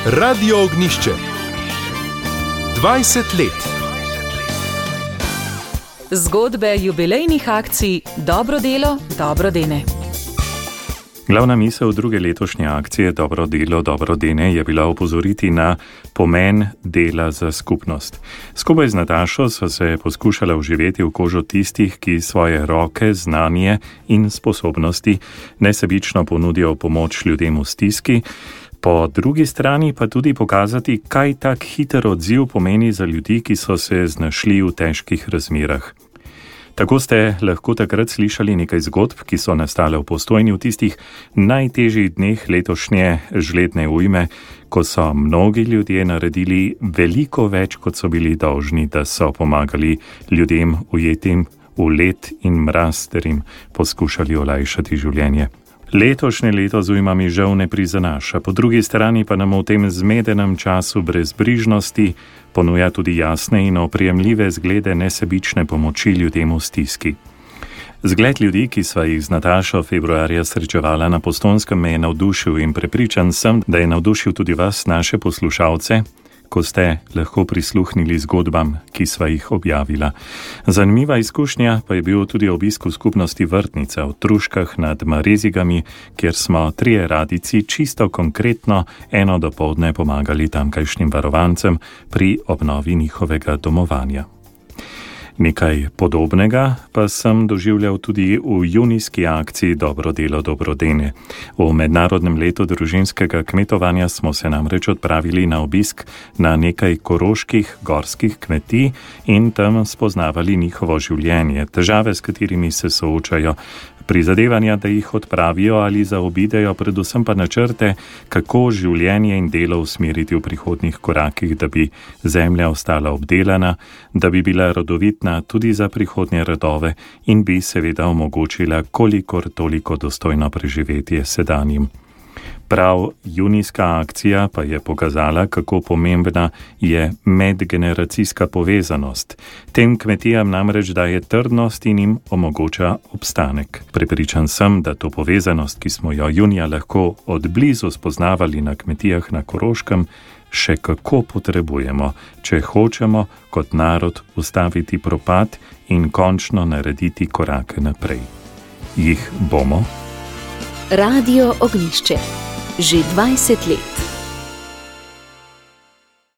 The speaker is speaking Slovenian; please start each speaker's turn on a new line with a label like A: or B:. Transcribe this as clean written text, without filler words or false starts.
A: Radio Ognjišče. 20 let.
B: Zgodbe jubilejnih akcij Dobro delo, dobro dene.
C: Glavna misel druge letošnje akcije Dobro delo, dobro dene je bila opozoriti na pomen dela za skupnost. Skupaj z Natašo so se poskušala vživeti v kožo tistih, ki svoje roke, znanje in sposobnosti nesebično ponudijo pomoč ljudem v stiski, po drugi strani pa tudi pokazati, kaj tak hiter odziv pomeni za ljudi, ki so se znašli v težkih razmerah. Tako ste lahko takrat slišali nekaj zgodb, ki so nastale v Postojni v tistih najtežjih dneh letošnje žledne ujme, ko so mnogi ljudje naredili veliko več, kot so bili dolžni, da so pomagali ljudem ujetim v led in mraz ter jim poskušali olajšati življenje. Letošnje leto z ujmami žal ne prizanaša, po drugi strani pa nam v tem zmedenem času brezbrižnosti ponuja tudi jasne in oprijemljive zglede nesebične pomoči ljudem v stiski. Zgled ljudi, ki sva jih z Natašo februarja srečevala na Postojnskem, me je navdušil in prepričan sem, da je navdušil tudi vas, naše poslušalce, ko ste lahko prisluhnili zgodbam, ki sva jih objavila. Zanimiva izkušnja pa je bil tudi obisk v skupnosti Vrtnica v Truškah nad Marezigami, kjer smo 3 radici čisto konkretno eno dopoldne pomagali tamkajšnjim varovancem pri obnovi njihovega domovanja. Nekaj podobnega pa sem doživljal tudi v junijski akciji Dobro delo, dobro dene. V mednarodnem letu družinskega kmetovanja smo se namreč odpravili na obisk na nekaj koroških gorskih kmetij in tam spoznavali njihovo življenje, težave, s katerimi se soočajo, prizadevanja, da jih odpravijo ali zaobidejo, predvsem pa načrte, kako življenje in delo usmeriti v prihodnjih korakih, da bi zemlja ostala obdelana, da bi bila rodovitna tudi za prihodnje rodove in bi seveda omogočila kolikor toliko dostojno preživetje sedanjim. Prav junijska akcija pa je pokazala, kako pomembna je medgeneracijska povezanost. Tem kmetijam namreč daje trdnost in jim omogoča obstanek. Prepričan sem, da to povezanost, ki smo jo junija lahko od blizu spoznavali na kmetijah na Koroškem, še kako potrebujemo, če hočemo kot narod ustaviti propad in končno narediti korake naprej. Jih bomo?
D: Radio Ognjišče. Že 20 let.